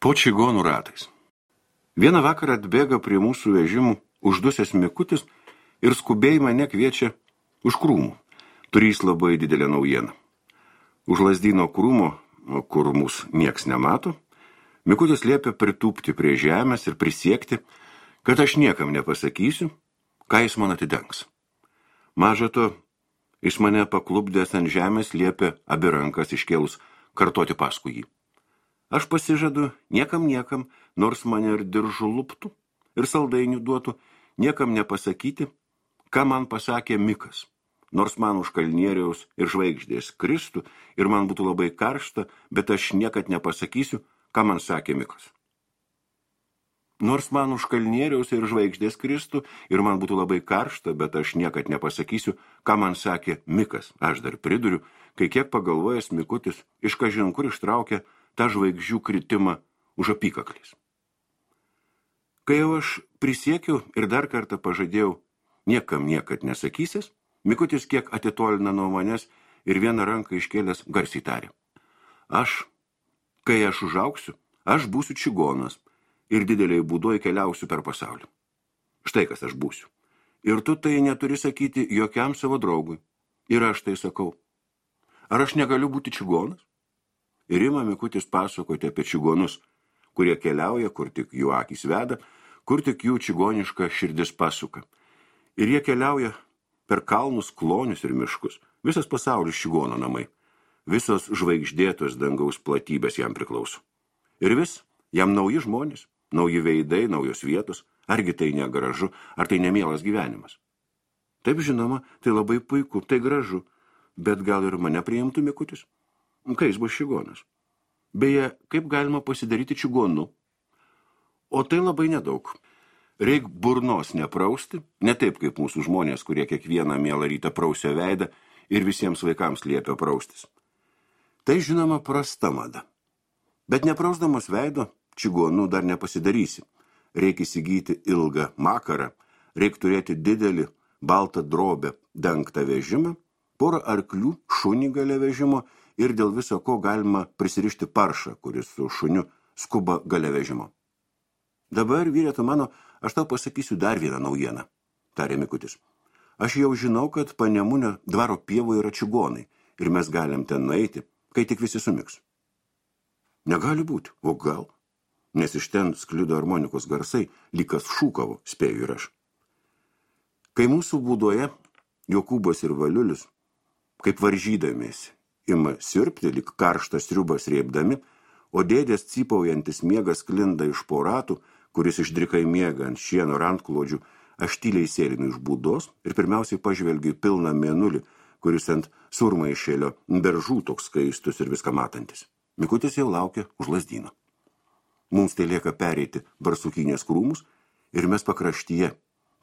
Po čigonų ratais. Vieną vakarą atbėga prie mūsų vežimų uždusęs Mikutis ir skubiai mane kviečia už krūmų. Turys labai didelę naujieną. Už Lazdyno krūmo, kur mūsų nieks nemato, Mikutis liepia pritūpti prie žemės ir prisiekti, kad aš niekam nepasakysiu, ką jis man atidengs. Maža to, jis mane paklupdęs ant žemės liepia abi rankas iškėlus kartoti paskui jį. Aš pasižadu niekam, nors mane ir diržu luptų ir saldainių duotų, niekam nepasakyti, ką man pasakė Mikas. Nors man už kalnieriaus ir žvaigždės kristų ir man būtų labai karšta, bet aš niekad nepasakysiu, ką man sakė Mikas. Nors man už kalnieriaus ir žvaigždės kristų ir man būtų labai karšta, bet aš niekad nepasakysiu, ką man sakė Mikas. Aš dar priduriu, kai kiek pagalvojęs Mikutis iš kažin kur ištraukė tą žvaigždžių kritimą už apykaklės. Kai jau aš prisiekiau ir dar kartą pažadėjau niekam niekad nesakysės, Mikutis kiek atitolina nuo manęs ir vieną ranką iškėlęs garsiai tarė. Kai aš užaugsiu, aš būsiu čigonas ir dideliai būdoj keliausiu per pasaulį. Štai kas aš būsiu. Ir tu tai neturi sakyti jokiam savo draugui. Ir aš tai sakau. Ar aš negaliu būti čigonas? Ir ima Mikutis pasakoti apie čigonus, kurie keliauja, kur tik jų akys veda, kur tik jų čigoniška širdis pasuka. Ir jie keliauja per kalnus, klonius ir miškus. Visas pasaulis čigono namai. Visos žvaigždėtos dangaus platybės jam priklauso. Ir vis jam nauji žmonės, nauji veidai, naujos vietos. Argi tai negražu, ar tai nemielas gyvenimas? Taip žinoma, tai labai puiku, tai gražu. Bet gal ir mane priimtų Mikutis? Kai jis bus čigonas. Beje, kaip galima pasidaryti čigonu? O tai labai nedaug. Reik burnos neprausti, ne taip kaip mūsų žmonės, kurie kiekvieną mielą rytą prausia veidą ir visiems vaikams liepia praustis. Tai žinoma prasta mada. Bet neprausdamas veido, čigonu dar nepasidarysi. Reik įsigyti ilgą makarą, reik turėti didelį baltą drobę dengtą vežimą, porą arklių, šunį gale vežimo ir dėl viso ko galima prisirišti paršą, kuris su šuniu skuba gale vežimo. Dabar, vyrėtu mano, aš tau pasakysiu dar vieną naujieną, tarė Mikutis. Aš jau žinau, kad Panemunio dvaro pievoje yra čigonai ir mes galim ten nueiti, kai tik visi sumiks. Negali būti, o gal, nes iš ten sklido harmonikos garsai, lygas šūkavo, spėju ir aš. Kai mūsų būdoje Jokūbas ir Valiulis, kaip varžydamiesi, ima sirpti, lyg karštas sriubas rėpdami, o dėdės cypaujantis miegas sklinda iš po ratų, kuris išdrikai miega ant šieno rantklodžių, aš tyliai sėlinu iš būdos ir pirmiausiai pažvelgiu į pilną mėnulį, kuris ant surmaišėlio beržų toks skaistus ir viską matantis. Mikutis jau laukia už Lazdyno. Mums tai lieka pereiti Barsukinės krūmus ir mes pakraštyje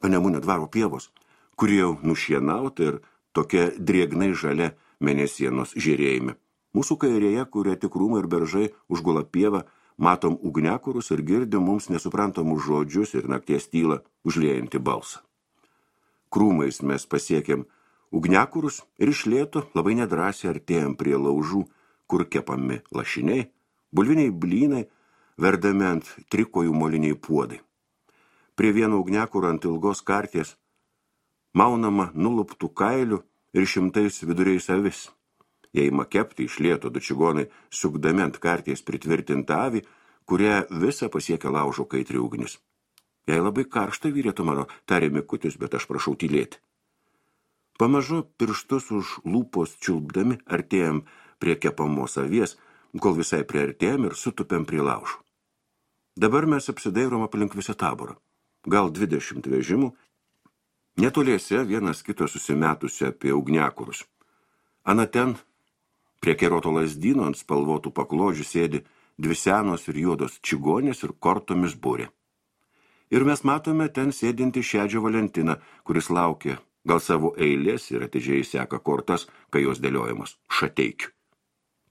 Panemunio dvaro pievos, kurie jau nušienauta ir tokia drėgnai žalia mėnesienos žėrėjime. Mūsų kairėje, kurie tik krūmai ir beržai užgula pievą, matom ugniakurus ir girdim mums nesuprantamus žodžius ir nakties tylą užliejantį balsą. Krūmais mes pasiekėm ugniakurus ir iš lėto labai nedrąsiai artėjom prie laužų, kur kepami lašiniai, bulviniai blynai, verdami ant trikojų moliniai puodai. Prie vieno ugniakuro ant ilgos karties maunama nuluptų kailių ir šimtais viduriais avis. Jei ima kepti iš lėto du čigonai, sukdami ant karties pritvirtintą avį, kurią visą pasiekia laužo kaitri ugnis. Jei labai karšta, vyrėtų mano, tarė Mikutis, bet aš prašau tylėti. Pamažu pirštus už lūpos čiulpdami artėjom prie kepamos avies, kol visai priartėjom ir sutupėm prie laužų. Dabar mes apsidairom aplink visą taborą. Gal 20 vežimų, netoliese vienas kito susimetusi apie ugniakurus. Ana ten, prie keroto Lazdyno ant spalvotų paklodžių sėdi dvi senos ir juodos čigonės ir kortomis būrė. Ir mes matome ten sėdinti Šedžio Valentiną, kuris laukia gal savo eilės ir atidžiai seka kortas, kai jos dėliojamos Šateikiu.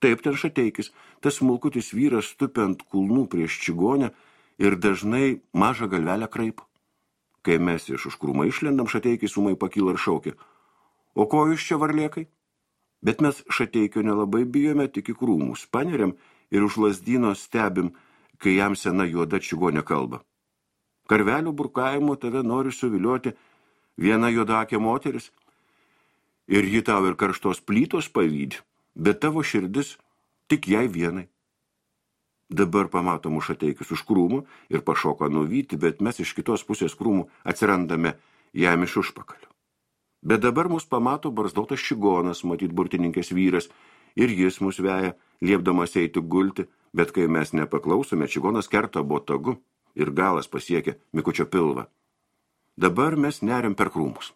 Taip ten Šateikis, tas smulkutis vyras tupi ant kulnų prieš čigonę ir dažnai mažą galvelę kraipo. Kai mes iš už krūmą išlendam, Šateikis ūmai pakyla ir šaukia. O ko jūs čia varlėkai? Bet mes Šateikio nelabai bijome, tik į krūmus paneriam ir už Lazdyno stebim, kai jam sena juoda čigonė kalba. Karvelių burkavimu tave nori suvilioti viena juodakė moteris, ir ji tau ir karštos plytos pavydi, bet tavo širdis tik jai vienai. Dabar pamato Mušateikis už krūmų ir pašoka nuvyti, bet mes iš kitos pusės krūmų atsirandame jam iš užpakalio. Bet dabar mus pamato barzdotas čigonas, matyt burtininkės vyras, ir jis mus veja, liepdamas eiti gulti, bet kai mes nepaklausome, čigonas kerta botagu ir galas pasiekia Mikučio pilvą. Dabar mes neriam per krūmus.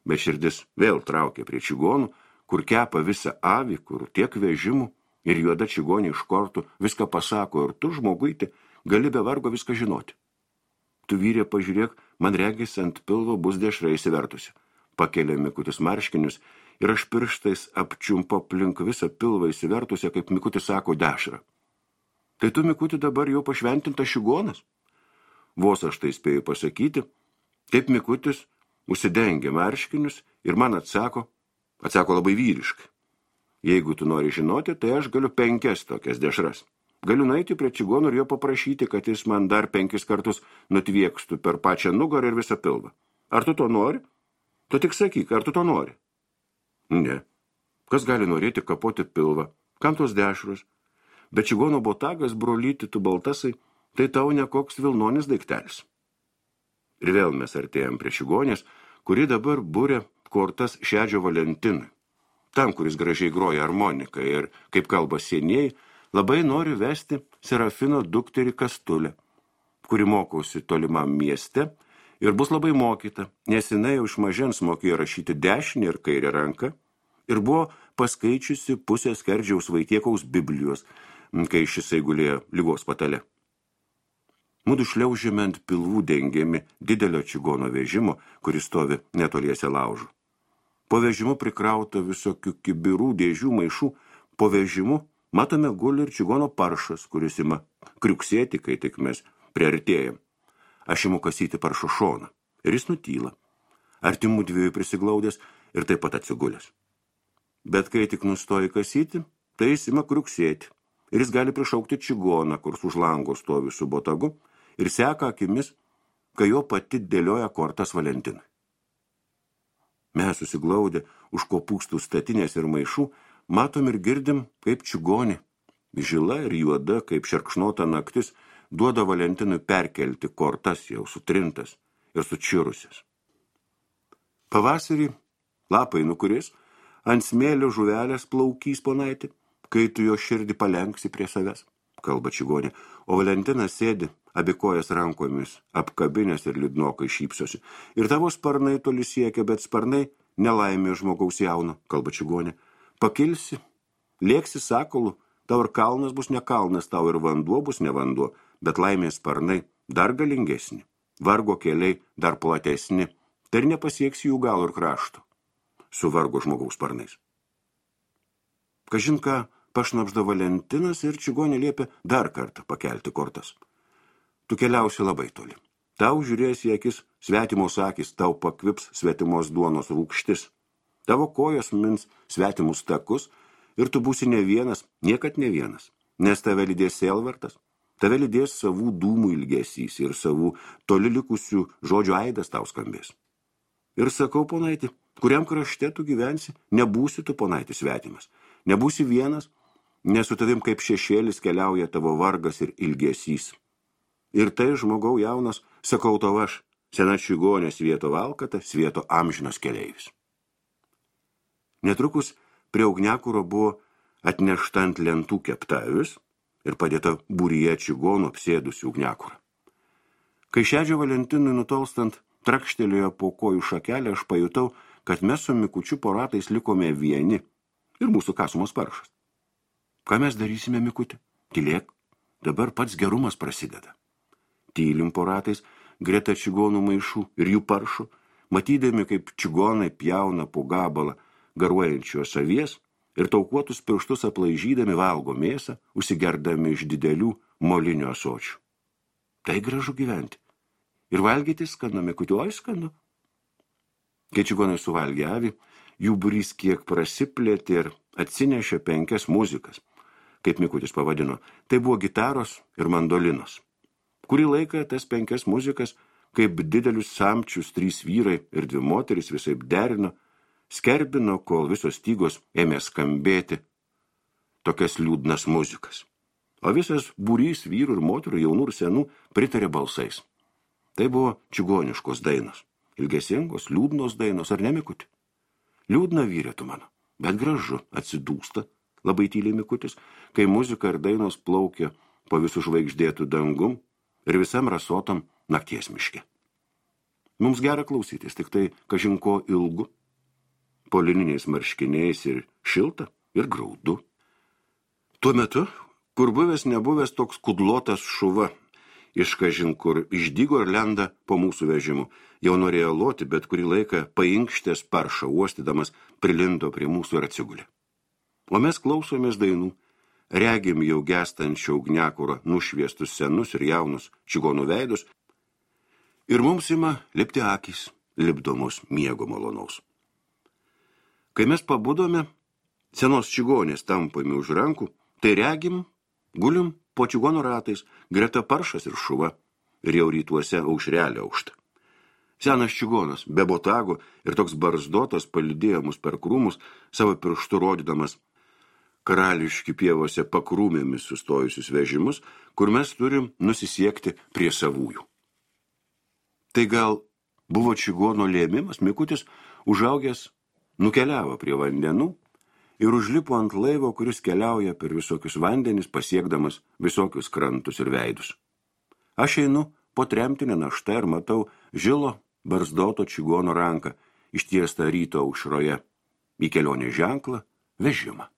Bet širdis vėl traukia prie čigonų, kur kepa visą avį, kur tiek vežimų, ir juoda čigonė iš kortų viską pasako, ir tu, žmoguiti, gali be vargo viską žinoti. Tu, vyrė, pažiūrėk, man regis ant pilvo bus dešra įsivertusi. Pakelia Mikutis marškinius ir aš pirštais apčiumpo aplink visą pilvą įsivertusią, kaip Mikutis sako, dešrą. Tai tu, Mikuti, dabar jau pašventintas čigonas? Vos aš tai spėjau pasakyti, taip Mikutis užsidengia marškinius ir man atsako labai vyriškai. Jeigu tu nori žinoti, tai aš galiu 5 tokias dešras. Galiu nueiti prie čigonų ir jo paprašyti, kad jis man dar 5 kartus nutviekstų per pačią nugarą ir visą pilvą. Ar tu to nori? Tu tik sakyk, ar tu to nori? Ne. Kas gali norėti kapoti pilvą? Kam tos dešros? Bet čigono botagas, brolyti, tu baltasai, tai tau nekoks vilnonis daiktelis. Ir vėl mes artėjom prie čigonės, kuri dabar būrė kortas Šedžio Valentinui. Tam, kuris gražiai groja harmoniką ir, kaip kalba senieji, labai nori vesti Serafino dukterį Kastulę, kuri mokausi tolimam mieste ir bus labai mokyta, nes jinai jau iš mažens mokėjo rašyti dešinę ir kairę ranką ir buvo paskaičiusi pusę Skerdžiaus Vaitiekaus Biblijos, kai šisai gulėjo ligos patale. Mudu šliaužėme ant pilvų dengiami didelio čigono vežimo, kuris stovi netoliese laužų. Po vežimu prikrauta visokių kibirų, dėžių, maišų. Po vežimu matome guli ir čigono paršas, kuris ima kriuksėti, kai tik mes priartėjam. Aš imu kasyti paršo šoną ir jis nutyla. Artimų dviejų prisiglaudęs ir taip pat atsigulęs. Bet kai tik nustoji kasyti, tai jis ima kriuksėti ir jis gali prišaukti čigoną, kurs už lango stovi su botagu ir seka akimis, kai jo pati dėlioja kortas Valentinui. Mes susiglaudę už kopūstų statinės ir maišų, matom ir girdim, kaip čigonė, žila ir juoda, kaip šerkšnota naktis, duoda Valentinui perkelti kortas jau sutrintas ir sučirusias. Pavasarį lapai nukuris, ant smėlio žuvelės plaukys ponaitį, kai tu jo širdį palenksi prie savęs, kalba čigonė, o Valentinas sėdi, abi kojas rankomis, apkabinės ir liūdnokai šypsosi. Ir tavo sparnai toli siekia, bet sparnai nelaimė žmogaus jauno, kalba čigonė. Pakilsi, lėksi sakolu, tau ir kalnas bus ne kalnas, tau ir vanduo bus ne vanduo, bet laimės sparnai dar galingesni, vargo keliai dar platesni, tai ir nepasieksi jų galo ir krašto, su vargo žmogaus sparnais. Kažin ką pašnapžda Valentinas ir čigonė liepia dar kartą pakelti kortas. Tu keliausi labai toli. Tau žiūrės į akis svetimos akis, tau pakvips svetimos duonos rūgštis. Tavo kojos mins svetimus takus ir tu būsi ne vienas, niekad ne vienas, nes tave lydės sielvartas, tave lydės savų dūmų ilgesys ir savų toli likusių žodžių aidas tau skambės. Ir sakau, ponaiti, kuriam krašte tu gyvensi, nebūsi tu, ponaiti, svetimas, nebūsi vienas, nes su tavim kaip šešėlis keliauja tavo vargas ir ilgesys. Ir tai, žmogau jaunas, sakau tau aš, sena čigonė svieto valkata, svieto amžinas keleivis. Netrukus prie ugniakuro buvo atnešta ant lentų keptavis ir padėta būryje čigonų apsėdusi ugniakurą. Kai Šedžio Valentinui nutolstant trakštelėjo po kojų šakelę, aš pajutau, kad mes su Mikučiu po ratais likome vieni ir mūsų kasumos paršas. Ką mes darysime, Mikuti? Tylėk, dabar pats gerumas prasideda. Tylim po ratais, greta čigonų maišų ir jų paršų, matydami, kaip čigonai pjauna po gabalą garuojančios avies ir taukuotus pirštus aplaižydami valgo mėsą, užsigerdami iš didelių molinių ąsočių. Tai gražu gyventi. Ir valgyti skanu, Mikuti, oi skanu. Kai čigonai suvalgė avį, jų būrys kiek prasiplėtė ir atsinešė 5 muzikas. kaip Mikutis pavadino, tai buvo gitaros ir mandolinos. Kurį laiką tas 5 muzikas, kaip didelius samčius 3 vyrai ir 2 moterys visaip derino, skerbino, kol visos stygos ėmė skambėti tokias liūdnas muzikas. O visas būrys vyrų ir moterų, jaunų ir senų, pritarė balsais. Tai buvo čigoniškos dainos. Ilgesingos, liūdnos dainos, ar ne, Mikuti? Liūdna vyrė tu mano, bet gražu, atsidūsta, labai tyliai Mikutis, kai muzika ir dainos plaukia po visų žvaigždėtų dangum ir visam rasotam nakties miške. Mums gera klausytis, tik tai kažinko ilgu, po lininiais marškiniais ir šilta ir graudu. Tuo metu, kur buvęs nebuvęs toks kudlotas šuva, iš kažin kur išdygo ir lenda po mūsų vežimu, jau norėjo loti, bet kurį laiką painkštės paršą uostydamas prilindo prie mūsų ir atsigulė. O mes klausomės dainų, regim jau gestančio ugniakuro nušviestus senus ir jaunus čigonų veidus, ir mums ima lipti akys, lipdomos miego malonaus. Kai mes pabudome, senos čigonės tampami už rankų, tai regim, gulim po čigonų ratais, greta paršas ir šuva, ir jau rytuose aušrelė aukšta. Senas čigonas, be botago ir toks barzdotas palydėjo mus per krūmus, savo pirštu rodydamas karališki pievose pakrūmėmis sustojusius vežimus, kur mes turim nusisiekti prie savųjų. Tai gal buvo čigono lėmimas, Mikutis, užaugęs, nukeliavo prie vandenų ir užlipo ant laivo, kuris keliauja per visokius vandenis, pasiekdamas visokius krantus ir veidus. Aš einu po tremtinę naštą ir matau žilo barzdoto čigono ranką, ištiestą ryto aušroje, į kelionės ženklą vežimą.